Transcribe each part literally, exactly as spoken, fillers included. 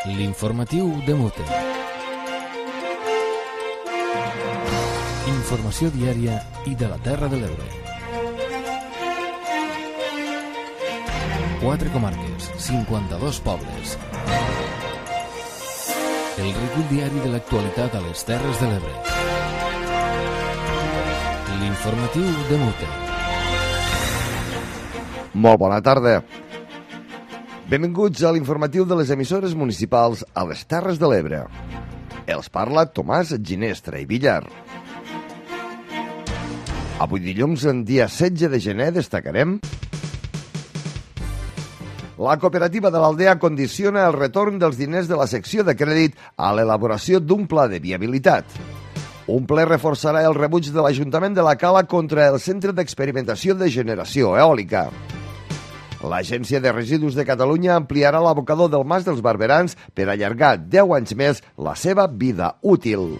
L'informatiu de Mute. Informació diària i de la Terra de l'Ebre. Quatre comarques, cinquanta-dos pobles. El recull diari de l'actualitat a les Terres de l'Ebre. L'informatiu de Mute. Molt bona tarda. Benvinguts a l'informatiu de les emissores municipals a les Terres de l'Ebre. Els parla Tomàs Ginestra i Villar. Avui dilluns, en dia setze de gener, destacarem: la cooperativa de l'Aldea condiciona el retorn dels diners de la secció de crèdit a l'elaboració d'un pla de viabilitat. Un ple reforçarà el rebuig de l'Ajuntament de la Cala contra el Centre d'Experimentació de Generació Eòlica. L'Agència de Residus de Catalunya ampliarà l'abocador del Mas dels Barberans per allargar deu anys més la seva vida útil.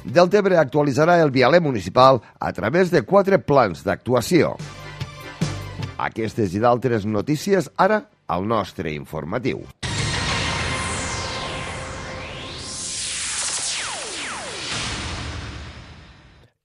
Deltebre actualitzarà el vialer municipal a través de quatre plans d'actuació. Aquestes i d'altres notícies ara al nostre informatiu.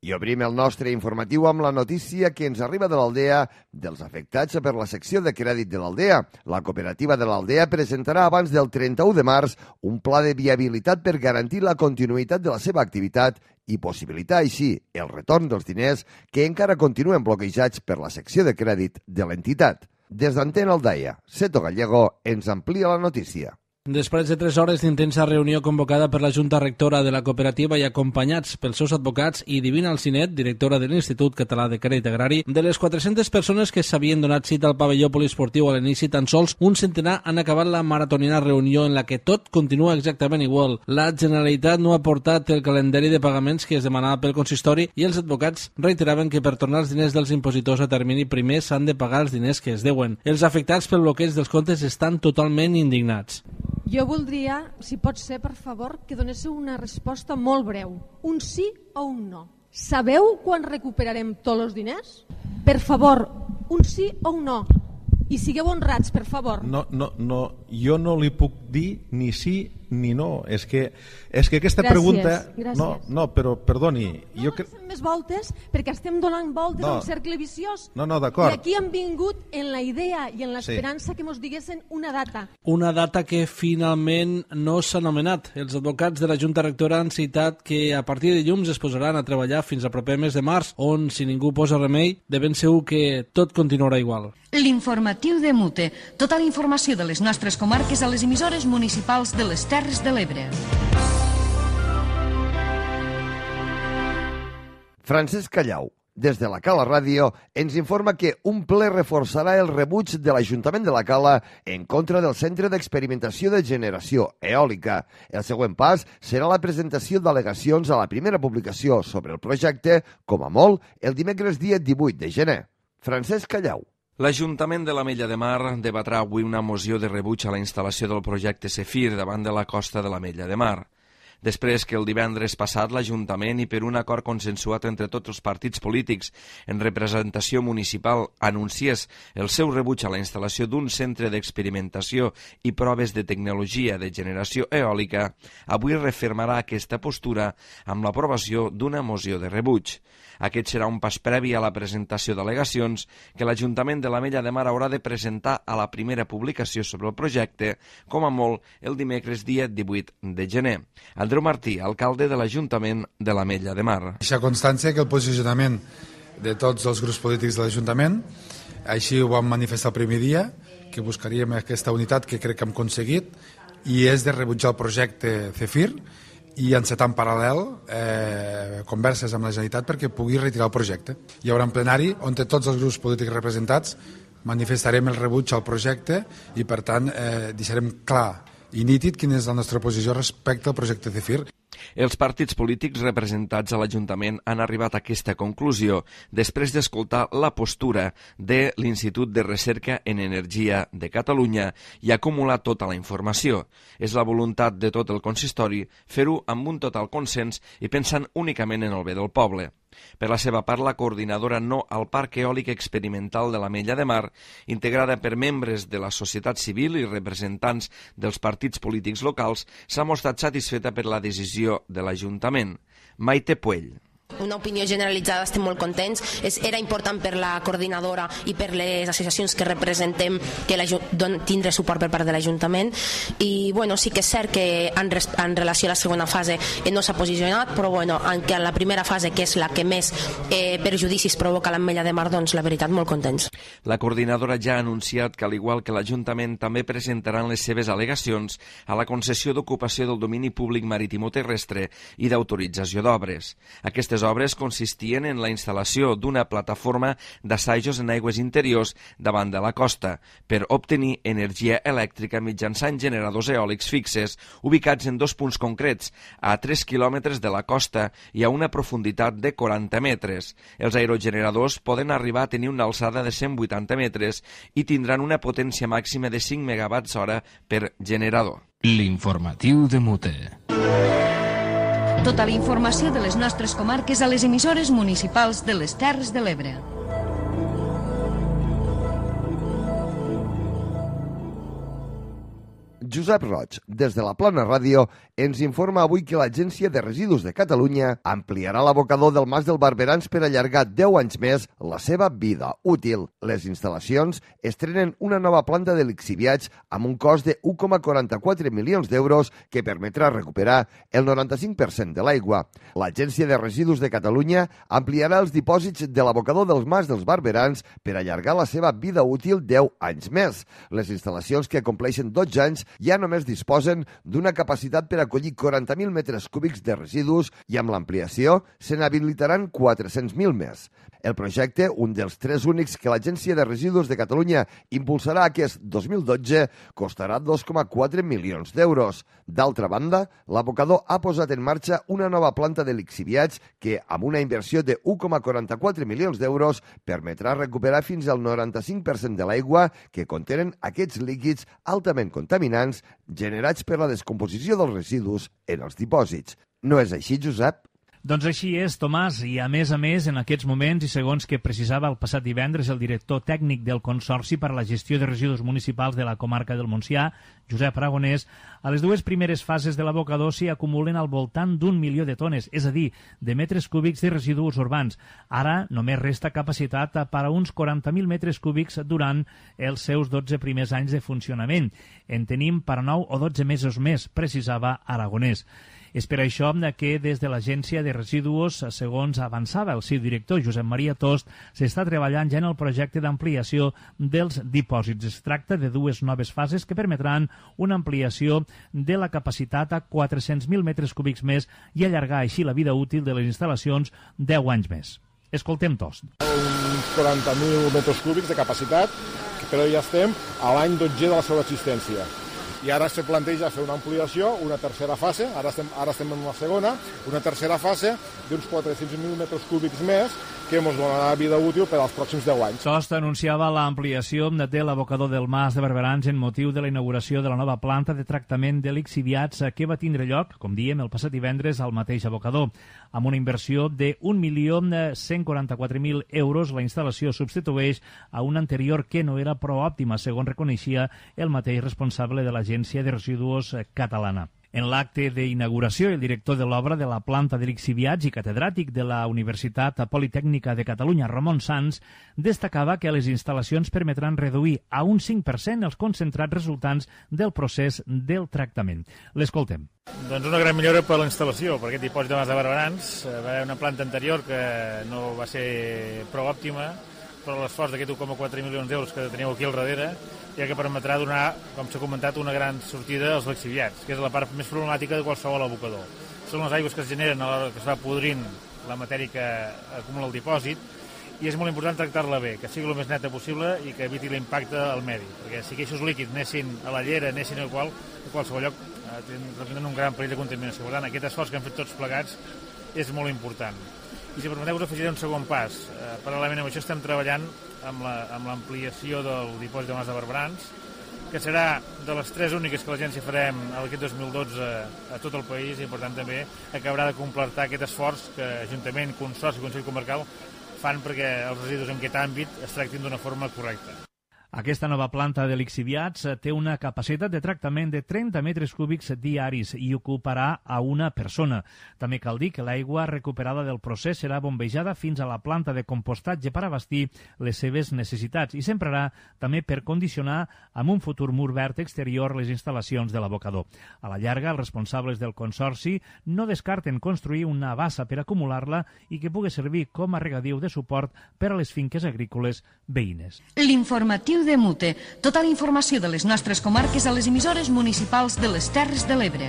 I obrim el nostre informatiu amb la notícia que ens arriba de l'Aldea dels afectats per la secció de crèdit de l'Aldea. La cooperativa de l'Aldea presentarà abans del trenta-u de març un pla de viabilitat per garantir la continuïtat de la seva activitat i possibilitar així el retorn dels diners que encara continuen bloquejats per la secció de crèdit de l'entitat. Des d'Antena Aldaia, Seto Gallego ens amplia la notícia. Després de tres hores d'intensa reunió convocada per la Junta Rectora de la cooperativa i acompanyats pels seus advocats i Divina Alcinet, directora de l'Institut Català de Crèdit Agrari, de les quatre-centes persones que s'havien donat cita al pavelló poliesportiu a l'inici, tan sols un centenar han acabat la maratonina reunió en la que tot continua exactament igual. La Generalitat no ha portat el calendari de pagaments que es demanava pel consistori i els advocats reiteraven que per tornar els diners dels impositors a termini primer s'han de pagar els diners que es deuen. Els afectats pel bloqueig dels comptes estan totalment indignats. Jo voldria, si pot ser, per favor, que donéssiu una resposta molt breu. Un sí o un no. Sabeu quan recuperarem tots els diners? Per favor, un sí o un no. I sigueu honrats, per favor. No, no, no, jo no li puc dir ni sí ni no. És que, és que aquesta gràcies, pregunta... Gràcies. No, no, però perdoni. No jo cre... més voltes perquè estem donant voltes no. a un cercle viciós. No, no, d'acord. I aquí hem vingut en la idea i en l'esperança sí. que mos diguessin una data. Una data que finalment no s'ha anomenat. Els advocats de la Junta Rectora han citat que a partir de dilluns es posaran a treballar fins al proper mes de març, on, si ningú posa remei, de ben segur que tot continuarà igual. L'informatiu de Mute. Tota la informació de les nostres comarques a les emissores municipals de les Terres de l'Ebre. Francesc Callau, des de la Cala Ràdio, ens informa que un ple reforçarà el rebuig de l'Ajuntament de la Cala en contra del Centre d'Experimentació de Generació Eòlica. El següent pas serà la presentació d'al·legacions a la primera publicació sobre el projecte, com a molt, el dimecres dia divuit de gener. Francesc Callau. L'Ajuntament de l'Ametlla de Mar debatrà avui una moció de rebuig a la instal·lació del projecte Zefir davant de la costa de l'Ametlla de Mar. Després que el divendres passat l'Ajuntament i per un acord consensuat entre tots els partits polítics en representació municipal anunciés el seu rebuig a la instal·lació d'un centre d'experimentació i proves de tecnologia de generació eòlica, avui refermarà aquesta postura amb l'aprovació d'una moció de rebuig. Aquest serà un pas previ a la presentació d'al·legacions que l'Ajuntament de l'Ametlla de Mar haurà de presentar a la primera publicació sobre el projecte, com a molt el dimecres dia divuit de gener. Andreu Martí, alcalde de l'Ajuntament de l'Ametlla de Mar. Deixa constància que el posicionament de tots els grups polítics de l'Ajuntament, així ho vam manifestar el primer dia, que buscaríem aquesta unitat que crec que hem aconseguit, i és de rebutjar el projecte Zefir i encetar en paral·lel eh, converses amb la Generalitat perquè pugui retirar el projecte. Hi haurà un plenari on tots els grups polítics representats manifestarem el rebuig al projecte i, per tant, eh, deixarem clar i nítid quina és la nostra posició respecte al projecte Zefir. Els partits polítics representats a l'Ajuntament han arribat a aquesta conclusió després d'escoltar la postura de l'Institut de Recerca en Energia de Catalunya i acumular tota la informació. És la voluntat de tot el consistori fer-ho amb un total consens i pensant únicament en el bé del poble. Per la seva part, la coordinadora No al Parc Eòlic Experimental de l'Ametlla de Mar, integrada per membres de la societat civil i representants dels partits polítics locals, s'ha mostrat satisfeta per la decisió de l'Ajuntament. Maite Puell. Una opinió generalitzada, estem molt contents. És, era important per la coordinadora i per les associacions que representem que tindre suport per part de l'Ajuntament. I bueno, sí que és cert que en, res, en relació a la segona fase eh, no s'ha posicionat, però bueno, en, que en la primera fase, que és la que més eh, perjudicis provoca l'Ametlla de Mar, doncs la veritat, molt contents. La coordinadora ja ha anunciat que, al igual que l'Ajuntament, també presentaran les seves al·legacions a la concessió d'ocupació del domini públic maritimoterrestre i d'autorització d'obres. Aquestes obres consistien en la instal·lació d'una plataforma d'assajos en aigües interiors davant de la costa per obtenir energia elèctrica mitjançant generadors eòlics fixes ubicats en dos punts concrets, a tres quilòmetres de la costa i a una profunditat de quaranta metres. Els aerogeneradors poden arribar a tenir una alçada de cent vuitanta metres i tindran una potència màxima de cinc megawatts hora per generador. L'informatiu de Mute. Tota la informació de les nostres comarques a les emissores municipals de les Terres de l'Ebre. Josep Roig, des de la Plana Ràdio, ens informa avui que l'Agència de Residus de Catalunya ampliarà l'abocador del Mas del Barberans per allargar deu anys més la seva vida útil. Les instal·lacions estrenen una nova planta de lixiviats amb un cost de u coma quaranta-quatre milions d'euros que permetrà recuperar el noranta-cinc per cent de l'aigua. L'Agència de Residus de Catalunya ampliarà els dipòsits de l'abocador del Mas dels Barberans per allargar la seva vida útil deu anys més. Les instal·lacions que compleixen dotze anys ja només disposen d'una capacitat per acollir quaranta mil metres cúbics de residus i amb l'ampliació se n'habilitaran quatre-cents mil més. El projecte, un dels tres únics que l'Agència de Residus de Catalunya impulsarà aquest dos mil dotze, costarà dos coma quatre milions d'euros. D'altra banda, l'abocador ha posat en marxa una nova planta de lixiviats que, amb una inversió de u coma quaranta-quatre milions d'euros, permetrà recuperar fins al noranta-cinc per cent de l'aigua que contenen aquests líquids altament contaminants generats per la descomposició dels residus en els dipòsits. No és així, Josep? Doncs així és, Tomàs, i a més a més, en aquests moments i segons que precisava el passat divendres el director tècnic del Consorci per a la Gestió de Residus Municipals de la comarca del Montsià, Josep Aragonès, a les dues primeres fases de l'abocador s'hi acumulen al voltant d'un milió de tones, és a dir, de metres cúbics de residus urbans. Ara només resta capacitat per a uns quaranta mil metres cúbics durant els seus dotze primers anys de funcionament. En tenim per a nou o dotze mesos més, precisava Aragonès. És per això que des de l'Agència de Residus, segons avançava el seu director Josep Maria Tost, s'està treballant ja en el projecte d'ampliació dels dipòsits. Es tracta de dues noves fases que permetran una ampliació de la capacitat a quatre-cents mil metres cúbics més i allargar així la vida útil de les instal·lacions deu anys més. Escoltem Tost. Uns quaranta mil metres cúbics de capacitat, però ja estem a l'any dotze de la seva existència. I ara se planteja fer una ampliació, una tercera fase, ara estem, ara estem en una segona, una tercera fase d'uns quatre-cents mil metres cúbics més que ens donarà vida útil per als pròxims deu anys. Tost anunciava l'ampliació de l'abocador del Mas de Barberans en motiu de la inauguració de la nova planta de tractament de lixiviats que va tindre lloc, com diem, el passat divendres al mateix abocador. Amb una inversió de un milió cent quaranta-quatre mil euros, la instal·lació substitueix a una anterior que no era prou òptima, segons reconeixia el mateix responsable de l'Agència de Residus catalana. En l'acte d'inauguració, el director de l'obra de la planta de lixiviats i catedràtic de la Universitat Politècnica de Catalunya, Ramon Sans, destacava que les instal·lacions permetran reduir a un cinc per cent els concentrats resultants del procés del tractament. L'escoltem. Doncs una gran millora per la instal·lació, per aquest dipòsit de Mas de Barberans. Va haver una planta anterior que no va ser prou òptima, però l'esforç d'aquest u coma quatre milions d'euros que teniu aquí al darrere ja que permetrà donar, com s'ha comentat, una gran sortida als lixiviats, que és la part més problemàtica de qualsevol abocador. Són les aigües que es generen a l'hora que es va podrint la matèria que acumula el dipòsit, i és molt important tractar-la bé, que sigui el més neta possible i que eviti l'impacte al medi, perquè si aquests líquids anessin a la llera, anessin a, qual, a qualsevol lloc, eh, representen un gran perill de contaminació. Per tant, aquest esforç que han fet tots plegats és molt important. I si permeteu, us afegiré un segon pas. Eh, paral·lelament amb això estem treballant amb l'ampliació la, del dipòsit de Mas de Barberans, que serà de les tres úniques que l'agència farem aquest dos mil dotze a tot el país, i per tant també acabarà de completar aquest esforç que Ajuntament, Consorci i Consell Comarcal fan perquè els residus en aquest àmbit es tractin d'una forma correcta. Aquesta nova planta de lixiviats té una capacitat de tractament de trenta metres cúbics diaris i ocuparà a una persona. També cal dir que l'aigua recuperada del procés serà bombejada fins a la planta de compostatge per abastir les seves necessitats i s'emprarà també per condicionar amb un futur mur verd exterior les instal·lacions de l'abocador. A la llarga, els responsables del Consorci no descarten construir una bassa per acumular-la i que pugui servir com a regadiu de suport per a les finques agrícoles veïnes. L'informatiu de Mute. Tota la informació de les nostres comarques a les emissores municipals de les Terres de l'Ebre.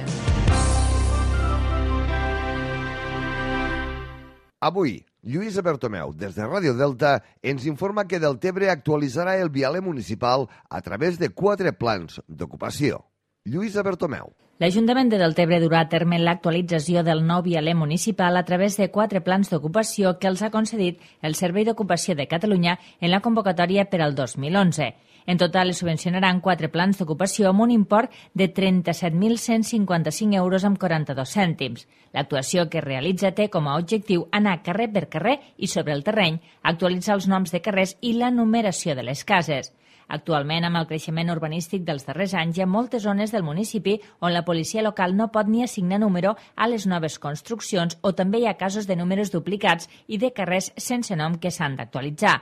Avui, Lluïsa Bertomeu, des de Ràdio Delta, ens informa que Deltebre actualitzarà el vialer municipal a través de quatre plans d'ocupació. Lluïsa Bertomeu. L'Ajuntament de Deltebre durà a terme l'actualització del nou vialer municipal a través de quatre plans d'ocupació que els ha concedit el Servei d'Ocupació de Catalunya en la convocatòria per al dos mil onze. En total es subvencionaran quatre plans d'ocupació amb un import de trenta-set mil cent cinquanta-cinc euros amb quaranta-dos cèntims. L'actuació que es realitza té com a objectiu anar carrer per carrer i sobre el terreny, actualitzar els noms de carrers i la numeració de les cases. Actualment, amb el creixement urbanístic dels darrers anys, hi ha moltes zones del municipi on la policia local no pot ni assignar número a les noves construccions o també hi ha casos de números duplicats i de carrers sense nom que s'han d'actualitzar.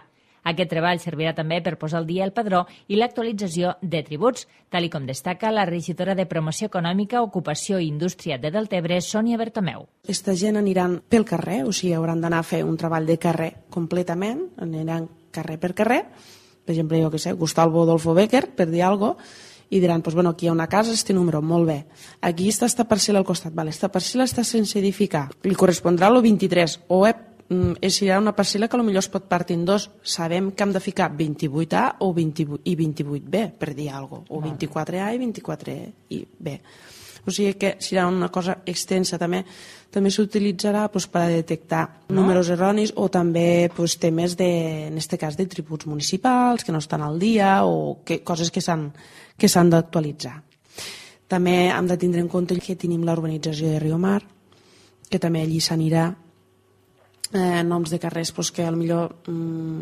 Aquest treball servirà també per posar al dia el padró i l'actualització de tributs, tal i com destaca la regidora de Promoció Econòmica, Ocupació i Indústria de Deltebre, Sònia Bertomeu. Esta gent aniran pel carrer, o sigui, hauran d'anar a fer un treball de carrer completament, aniran carrer per carrer. Per exemple, jo què sé, Gustavo Adolfo Becker, per dir alguna cosa, i diran, pues, bueno, aquí hi ha una casa, este número, molt bé. Aquí està esta parcel·la al costat, vale, esta parcel·la està sense edificar, li correspondrà el vint-i-tres, o eh, serà una parcel·la que potser es pot partir en dos. Sabem que hem de ficar vint-i-vuit A o vint-i-vuit i vint-i-vuit B, per dir alguna cosa, o vint-i-quatre A i vint-i-quatre B. O sigui que serà una cosa extensa. També també s'utilitzarà pues, per a detectar no? números erronis o també pues, temes, de, en aquest cas, de tributs municipals que no estan al dia o que, coses que s'han que s'han d'actualitzar. També hem de tindre en compte que tenim l'urbanització de Riomar, que també allí s'anirà eh, noms de carrers pues, que potser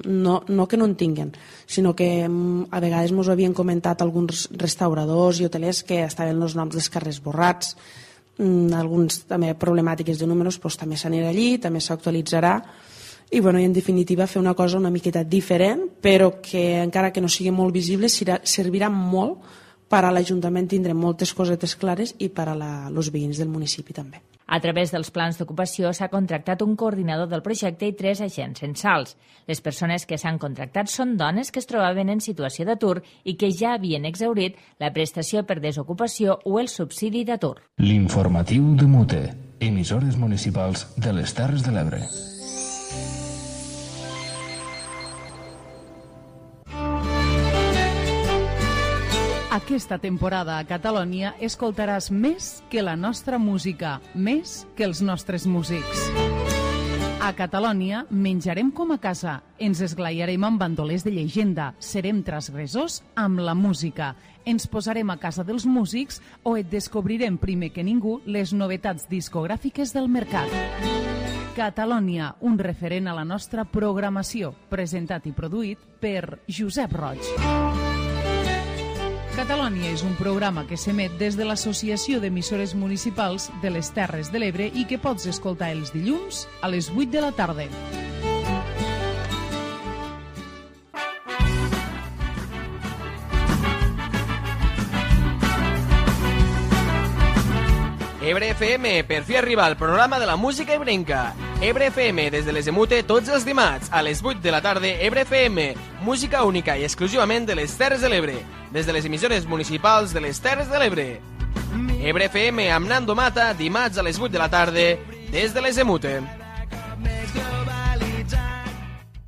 no, no que no en tinguen, sinó que a vegades ens havien comentat alguns restauradors i hotelers que estaven els noms dels carrers borrats, alguns també problemàtiques de números, doncs també s'anirà allí, també s'actualitzarà i, bueno, i en definitiva fer una cosa una miqueta diferent, però que encara que no sigui molt visible servirà molt per a l'Ajuntament tindre moltes cosetes clares i per a els veïns del municipi també. A través dels plans d'ocupació s'ha contractat un coordinador del projecte i tres agents censals. Les persones que s'han contractat són dones que es trobaven en situació d'atur i que ja havien exhaurit la prestació per desocupació o el subsidi d'atur. L'informatiu de Mute, emissores municipals de les Terres de l'Ebre. Aquesta temporada a Catalònia escoltaràs més que la nostra música, més que els nostres músics. A Catalònia menjarem com a casa, ens esglaiarem amb bandolers de llegenda, serem transgressors amb la música, ens posarem a casa dels músics o et descobrirem primer que ningú les novetats discogràfiques del mercat. Catalònia, un referent a la nostra programació, presentat i produït per Josep Roig. Catalònia és un programa que s'emet des de l'Associació d'Emissores Municipals de les Terres de l'Ebre i que pots escoltar els dilluns a les vuit de la tarda. Ebre F M, per fi arriba el programa de la música ebrenca. Ebre F M, des de les Emute, tots els dimarts, a les vuit de la tarda, Ebre F M, música única i exclusivament de les Terres de l'Ebre, des de les emissores municipals de les Terres de l'Ebre. Ebre F M amb Nando Mata, dimarts a les vuit de la tarda, des de les Emute.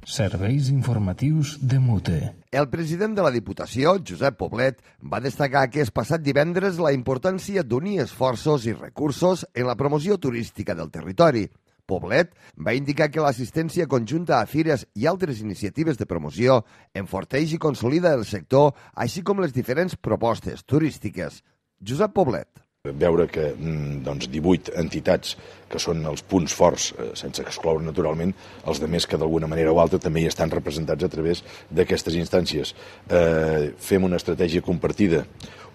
Serveis informatius de Mute. El president de la Diputació, Josep Poblet, va destacar aquest passat divendres la importància d'unir esforços i recursos en la promoció turística del territori. Poblet va indicar que l'assistència conjunta a fires i altres iniciatives de promoció enforteix i consolida el sector, així com les diferents propostes turístiques. Josep Poblet. Veure que doncs, divuit entitats que són els punts forts, eh, sense excloure naturalment els de més que d'alguna manera o altra també hi estan representats a través d'aquestes instàncies. Eh, fem una estratègia compartida,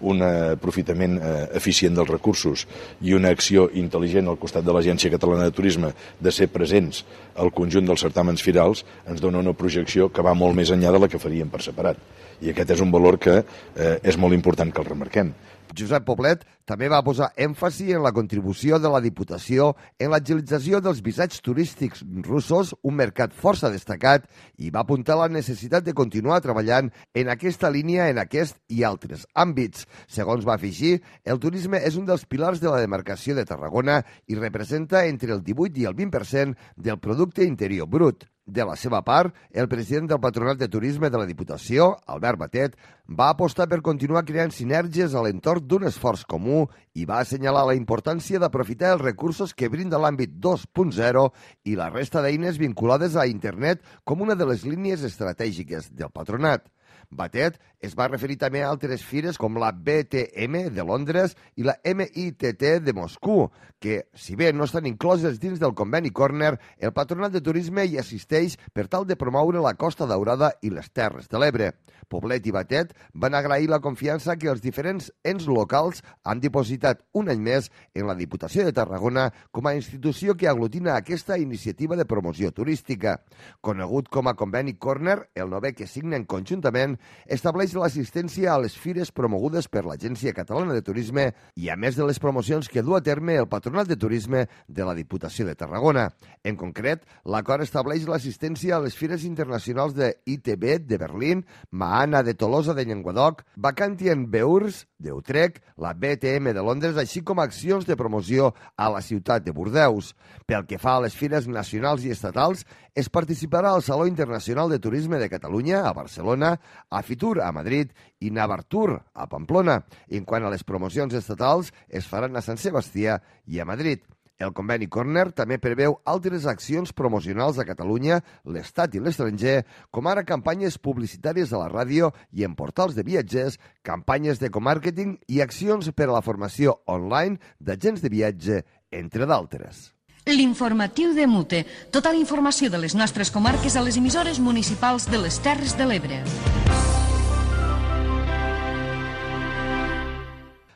un aprofitament eh, eficient dels recursos i una acció intel·ligent al costat de l'Agència Catalana de Turisme de ser presents al conjunt dels certàmens firals ens dona una projecció que va molt més enllà de la que faríem per separat. I aquest és un valor que eh, és molt important que el remarquem. Josep Poblet també va posar èmfasi en la contribució de la Diputació en l'agilització dels visats turístics russos, un mercat força destacat, i va apuntar la necessitat de continuar treballant en aquesta línia en aquest i altres àmbits. Segons va afegir, el turisme és un dels pilars de la demarcació de Tarragona i representa entre el divuit i el vint per cent del producte interior brut. De la seva part, el president del Patronat de Turisme de la Diputació, Albert Batet, va apostar per continuar creant sinergies a l'entorn d'un esforç comú i va assenyalar la importància d'aprofitar els recursos que brinda l'àmbit dos punt zero i la resta d'eines vinculades a internet com una de les línies estratègiques del patronat. Batet es va referir també a altres fires com la B T M de Londres i la M I T T de Moscou, que, si bé no estan incloses dins del conveni Corner, el Patronat de Turisme hi assisteix per tal de promoure la Costa Daurada i les Terres de l'Ebre. Poblet i Batet van agrair la confiança que els diferents ens locals han dipositat un any més en la Diputació de Tarragona com a institució que aglutina aquesta iniciativa de promoció turística. Conegut com a conveni Corner, el novè que signen conjuntament estableix l'assistència a les fires promogudes per l'Agència Catalana de Turisme i a més de les promocions que du a terme el Patronat de Turisme de la Diputació de Tarragona. En concret, l'acord estableix l'assistència a les fires internacionals de I T B de Berlín, Maana de Tolosa de Llenguadoc, Vacantian Beurs d'Utrecht, la B T M de Londres, així com accions de promoció a la ciutat de Bordeus. Pel que fa a les fires nacionals i estatals, es participarà al Saló Internacional de Turisme de Catalunya, a Barcelona, a Fitur, a Madrid, i Navartur, a Pamplona. En quant a les promocions estatals, es faran a Sant Sebastià i a Madrid. El conveni Corner també preveu altres accions promocionals a Catalunya, l'Estat i l'estranger, com ara campanyes publicitàries a la ràdio i en portals de viatgers, campanyes d'ecomàrqueting i accions per a la formació online d'agents de viatge, entre d'altres. L'informatiu de Mute. Tota la informació de les nostres comarques a les emissores municipals de les Terres de l'Ebre.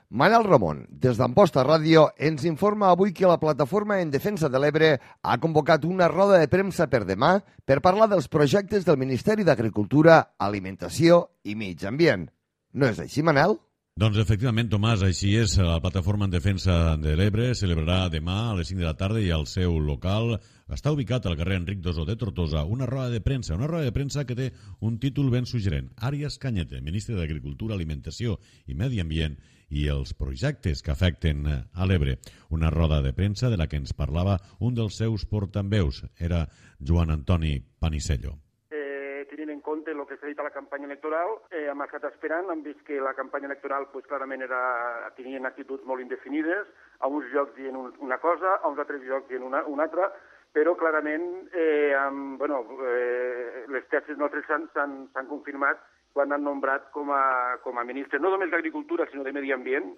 Manel Ramon, des d'Amposta Ràdio, ens informa avui que la Plataforma en Defensa de l'Ebre ha convocat una roda de premsa per demà per parlar dels projectes del Ministeri d'Agricultura, Alimentació i Mig Ambient. No és així, Manel? Doncs efectivament, Tomàs, així és. La Plataforma en Defensa de l'Ebre celebrarà demà a les cinc de la tarda i al seu local està ubicat al carrer Enric Dosó de Tortosa una roda de premsa, una roda de premsa que té un títol ben suggerent. Àries Cañete, ministre d'Agricultura, Alimentació i Medi Ambient i els projectes que afecten a l'Ebre. Una roda de premsa de la que ens parlava un dels seus portaveus, era Joan Antoni Panisello. Tenint en compte el que s'ha dit a la campanya electoral, eh, hem estat esperant, hem vist que la campanya electoral pues, clarament era, tenien actituds molt indefinides, a uns llocs dient un, una cosa, a uns altres llocs dient una, una altra, però clarament eh, amb, bueno, eh, les tesis nostres s'han confirmat quan han nombrat com a, com a ministre, no només d'Agricultura, sinó de Medi Ambient,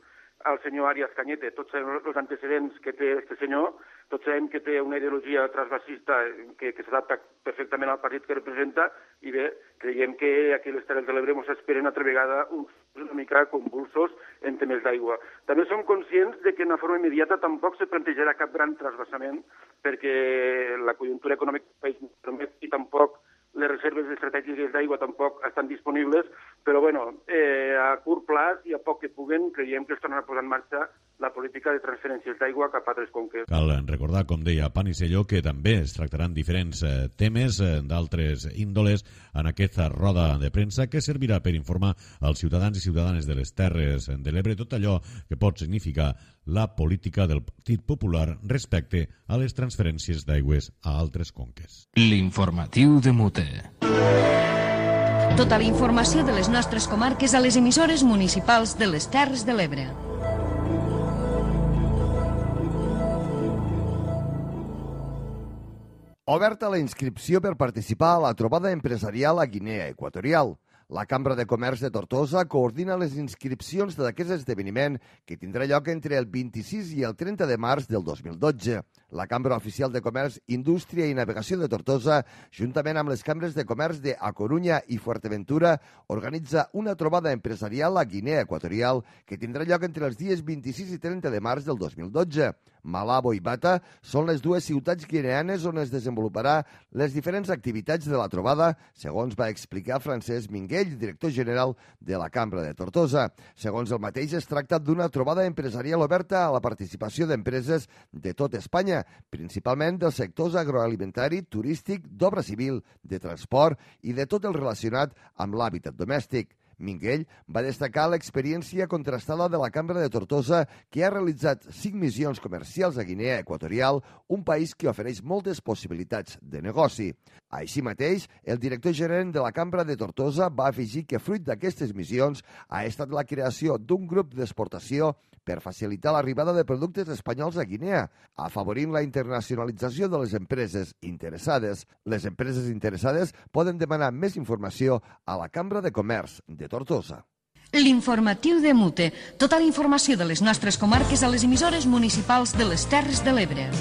el senyor Àries Cañete. Tots sabem els antecedents que té aquest senyor, tots sabem que té una ideologia transvasista que, que s'adapta perfectament al partit que representa, i bé, creiem que aquí a les Terres de l'Ebre ens esperen altra vegada uns una mica convulsos en temes d'aigua. També som conscients de que en una forma immediata tampoc se plantejarà cap gran transvasament, perquè la conjuntura econòmica del país no permet i tampoc les reserves estratègiques d'aigua tampoc estan disponibles, però bueno, eh, a curt plaç i a poc que puguen, creiem que es tornarà a posar en marxa la política de transferències d'aigua cap a altres conques. Cal recordar, com deia Panisello, que també es tractaran diferents eh, temes eh, d'altres índoles en aquesta roda de premsa que servirà per informar als ciutadans i ciutadanes de les Terres de l'Ebre tot allò que pot significar la política del Partit Popular respecte a les transferències d'aigües a altres conques. L'informatiu de Mute. Tota la informació de les nostres comarques a les emissores municipals de les Terres de l'Ebre. Oberta la inscripció per participar a la trobada empresarial a Guinea Equatorial. La Cambra de Comerç de Tortosa coordina les inscripcions d'aquest esdeveniment que tindrà lloc entre el vint-i-sis i el trenta de març del dos mil dotze. La Cambra Oficial de Comerç, Indústria i Navegació de Tortosa, juntament amb les cambres de comerç de A Corunya i Fuerteventura, organitza una trobada empresarial a Guinea Equatorial que tindrà lloc entre els dies vint-i-sis i trenta de març del dos mil dotze. Malabo i Bata són les dues ciutats guineanes on es desenvoluparà les diferents activitats de la trobada, segons va explicar Francesc Minguell, director general de la Cambra de Tortosa. Segons el mateix, es tracta d'una trobada empresarial oberta a la participació d'empreses de tot Espanya, principalment dels sectors agroalimentari, turístic, d'obra civil, de transport i de tot el relacionat amb l'hàbitat domèstic. Minguell va destacar l'experiència contrastada de la Cambra de Tortosa, que ha realitzat cinc missions comercials a Guinea Equatorial, un país que ofereix moltes possibilitats de negoci. Així mateix, el director gerent de la Cambra de Tortosa va afegir que fruit d'aquestes missions ha estat la creació d'un grup d'exportació per facilitar l'arribada de productes espanyols a Guinea, afavorint la internacionalització de les empreses interessades. Les empreses interessades poden demanar més informació a la Cambra de Comerç de Tortosa. L'informatiu de Mute. Tota la informació de les nostres comarques a les emissores municipals de les Terres de l'Ebre.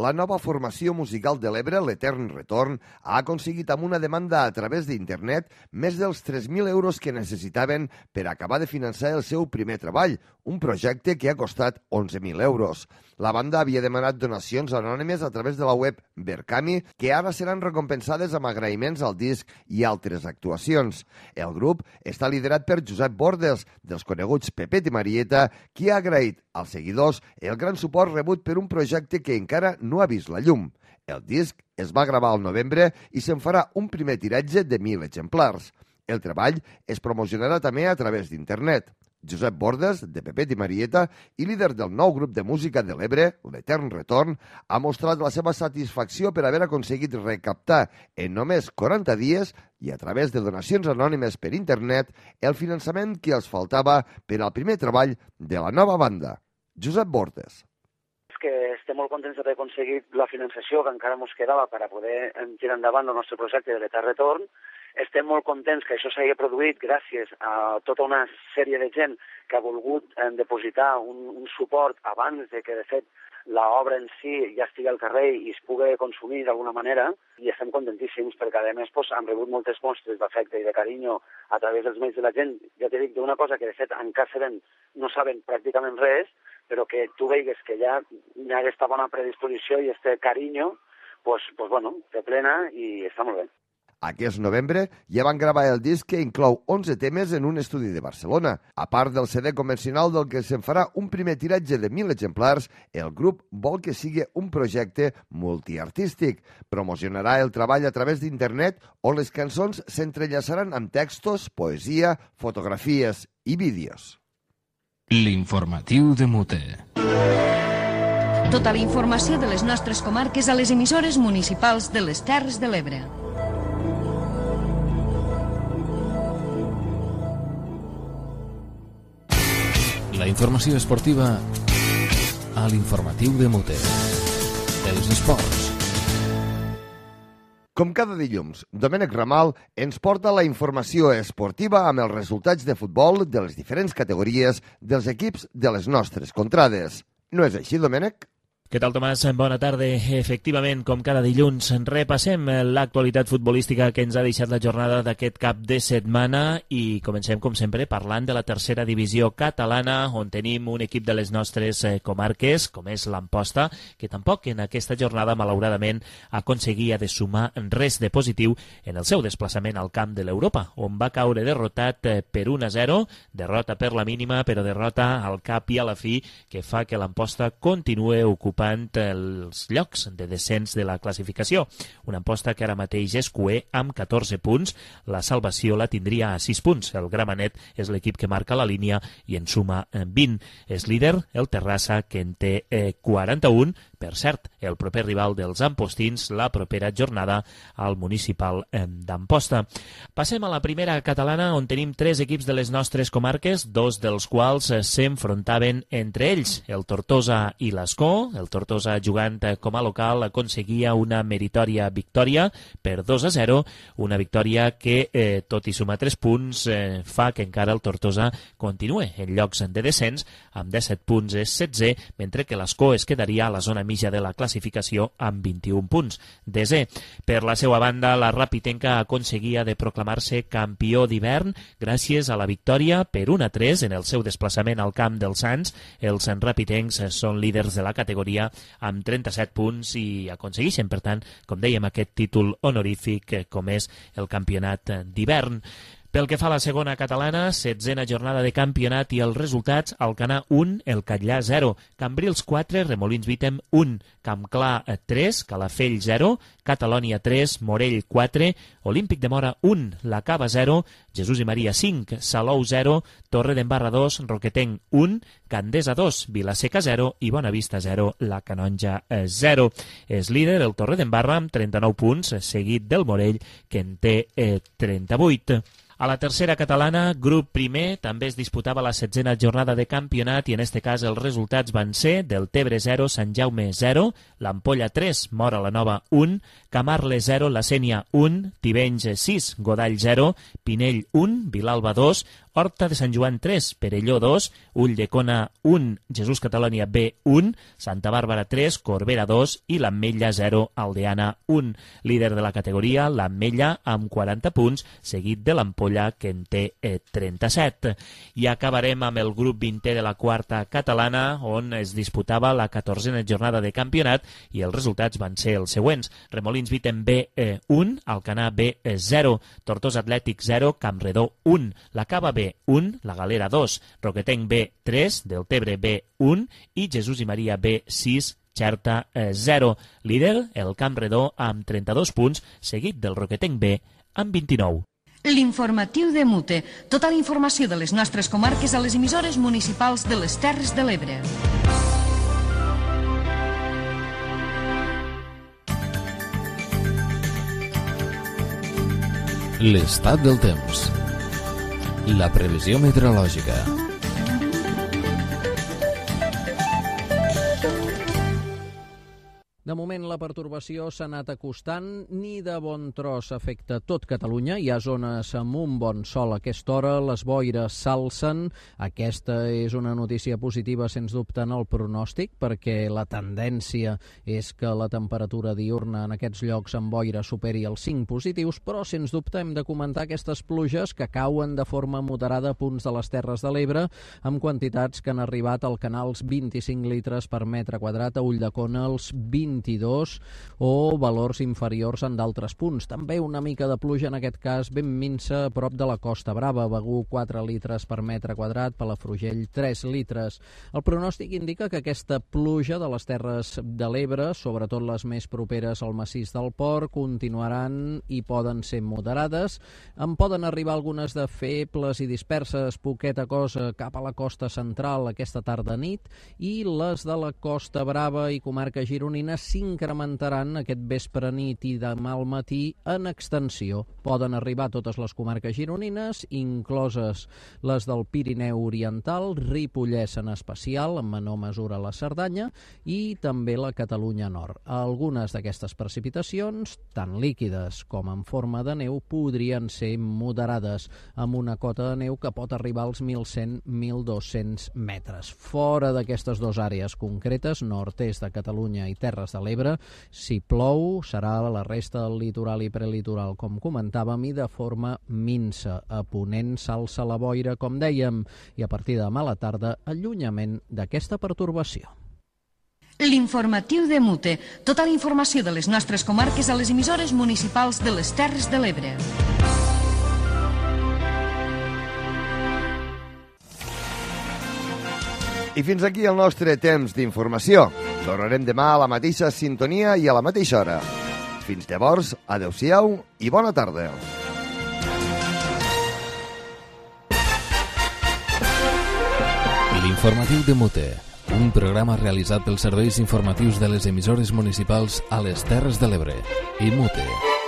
La nova formació musical de l'Ebre, l'Etern Retorn, ha aconseguit amb una demanda a través d'internet més dels tres mil euros que necessitaven per acabar de finançar el seu primer treball, un projecte que ha costat onze mil euros. La banda havia demanat donacions anònimes a través de la web Berkami, que ara seran recompensades amb agraïments al disc i altres actuacions. El grup està liderat per Josep Bordes, dels coneguts Pepet i Marieta, qui ha agraït als seguidors el gran suport rebut per un projecte que encara no ha vist la llum. El disc es va gravar al novembre i se'n farà un primer tiratge de mil exemplars. El treball es promocionarà també a través d'internet. Josep Bordes, de Pepet i Marieta, i líder del nou grup de música de l'Ebre, l'Etern Retorn, ha mostrat la seva satisfacció per haver aconseguit recaptar en només quaranta dies i a través de donacions anònimes per internet el finançament que els faltava per al primer treball de la nova banda. Josep Bordes. És que estem molt contents d'haver aconseguit la finançació que encara ens quedava per a poder tirar endavant el nostre projecte de l'Etern Retorn. Estem molt contents que això s'hagi produït gràcies a tota una sèrie de gent que ha volgut eh, depositar un, un suport abans de que, de fet, l'obra en si ja estigui al carrer i es pugui consumir d'alguna manera, i estem contentíssims perquè, a més, pues, hem rebut moltes mostres d'afecte i de carinyo a través dels mails de la gent. Ja t'he dit d'una cosa que, de fet, encara sabem, no saben pràcticament res, però que tu veigues que ja hi ha aquesta bona predisposició i este carinyo, pues, pues, bueno, te plena i està molt bé. Aquest novembre ja van gravar el disc que inclou onze temes en un estudi de Barcelona. A part del C D convencional del que se'n farà un primer tiratge de mil exemplars, el grup vol que sigui un projecte multiartístic. Promocionarà el treball a través d'internet on les cançons s'entrellaçaran amb textos, poesia, fotografies i vídeos. L'informatiu de Mute. Tota la informació de les nostres comarques a les emissores municipals de les Terres de l'Ebre. La informació esportiva a l'informatiu de Mute. Els esports. Com cada dilluns, Domènec Ramal ens porta la informació esportiva amb els resultats de futbol de les diferents categories dels equips de les nostres contrades. No és així, Domènec? Què tal, Tomàs? Bona tarda. Efectivament, com cada dilluns, repassem l'actualitat futbolística que ens ha deixat la jornada d'aquest cap de setmana i comencem, com sempre, parlant de la tercera divisió catalana, on tenim un equip de les nostres comarques, com és l'Amposta, que tampoc en aquesta jornada, malauradament, aconseguia de sumar res de positiu en el seu desplaçament al camp de l'Europa, on va caure derrotat per un a zero, derrota per la mínima, però derrota al cap i a la fi, que fa que l'Amposta continue ocupant els llocs de descens de la classificació. Una Amposta que ara mateix és cuer amb catorze punts, la salvació la tindria a sis punts. El Gramenet és l'equip que marca la línia i en suma vint. És líder el Terrassa, que en té quaranta-un, per cert, el proper rival dels ampostins la propera jornada al municipal d'Amposta. Passem a la primera catalana, on tenim tres equips de les nostres comarques, dos dels quals s'enfrontaven entre ells, el Tortosa i l'Escó. El Tortosa, jugant com a local, aconseguia una meritòria victòria per dos a zero, una victòria que, eh, tot i sumar tres punts, eh, fa que encara el Tortosa continue en llocs de descens, amb disset punts és setze, mentre que l'Escó es quedaria a la zona mitja de la classificació amb vint-i-un punts. Desè. Per la seva banda, la Rapitenca aconseguia de proclamar-se campió d'hivern gràcies a la victòria per un a tres en el seu desplaçament al camp dels Sants. Els rapitencs són líders de la categoria amb trenta-set punts i aconsegueixen, per tant, com dèiem, aquest títol honorífic com és el campionat d'hivern. Pel que fa a la segona catalana, setzena jornada de campionat i els resultats: Alcanar un, el Catllà zero, Cambrils quatre, Remolins Vítem un, Campclar tres, Calafell zero, Catalònia tres, Morell quatre, Olímpic de Mora un, La Cava zero, Jesús i Maria cinc, Salou zero, Torredembarra dos, Roquetenc un, Candesa dos, Vilaseca zero i Bonavista zero, La Canonja zero. És líder el Torredembarra amb trenta-nou punts, seguit del Morell, que en té eh, trenta-vuit. A la tercera catalana, grup primer, també es disputava la setzena jornada de campionat i en este cas els resultats van ser del Tebre zero, Sant Jaume zero, l'Ampolla tres, Mora la Nova un, Camarle zero, la Sénia un, Tivenys sis, Godall zero, Pinell un, Vilalba dos, Horta de Sant Joan tres, Perelló dos, Ulldecona un, Jesús Catalònia B un, Santa Bàrbara tres, Corbera dos i l'Ametlla zero, Aldeana un. Líder de la categoria, l'Ametlla amb quaranta punts, seguit de l'Ampolla, que en té eh, trenta-set. I acabarem amb el grup vintè de la quarta catalana, on es disputava la catorzena jornada de campionat i els resultats van ser els següents: Remolins Vítem B eh, un, Alcanar B zero, Tortosa Atlètic zero, Campredó un, La Cava B un, La Galera dos, Roquetenc B tres, Deltebre B un i Jesús i Maria B sis, Xerta zero. Líder, el Campredó amb trenta-dos punts, seguit del Roquetenc B amb vint-i-nou. L'informatiu de Mute. Tota la informació de les nostres comarques a les emissores municipals de les Terres de l'Ebre. L'estat del temps. La previsió meteorològica. De moment la pertorbació s'ha anat acostant, ni de bon tros afecta tot Catalunya. Hi ha zones amb un bon sol a aquesta hora, les boires s'alcen. Aquesta és una notícia positiva, sens dubte, en el pronòstic, perquè la tendència és que la temperatura diurna en aquests llocs amb boira superi els cinc positius, però sens dubte hem de comentar aquestes pluges que cauen de forma moderada a punts de les Terres de l'Ebre, amb quantitats que han arribat al canals vint-i-cinc litres per metre quadrat, a Ulldecona els vint-i-dos o valors inferiors en d'altres punts. També una mica de pluja, en aquest cas ben minsa, a prop de la Costa Brava. Begur quatre litres per metre quadrat, Palafrugell tres litres. El pronòstic indica que aquesta pluja de les Terres de l'Ebre, sobretot les més properes al massís del Port, continuaran i poden ser moderades. En poden arribar algunes de febles i disperses, poqueta cosa, cap a la costa central aquesta tarda-nit, i les de la Costa Brava i comarca gironina s'incrementaran aquest vespre-nit i demà al matí en extensió. Poden arribar a totes les comarques gironines, incloses les del Pirineu Oriental, Ripollès en especial, en menor mesura la Cerdanya, i també la Catalunya Nord. Algunes d'aquestes precipitacions, tant líquides com en forma de neu, podrien ser moderades, amb una cota de neu que pot arribar als mil cent a mil dos-cents metres. Fora d'aquestes dues àrees concretes, nord-est de Catalunya i Terres de l'Ebre, si plou, serà a la resta del litoral i prelitoral, com comentàvem, i de forma minsa. A ponent s'alça la boira, com dèiem, i a partir de demà a la tarda, allunyament d'aquesta pertorbació. L'informatiu de Mute. Tota la informació de les nostres comarques a les emissores municipals de les Terres de l'Ebre. I fins aquí el nostre temps d'informació. Tornarem demà a la mateixa sintonia i a la mateixa hora. Fins llavors, adeu-siau i bona tarda. L'informatiu de Mute, un programa realitzat pels serveis informatius de les emissores municipals a les Terres de l'Ebre. I Mute.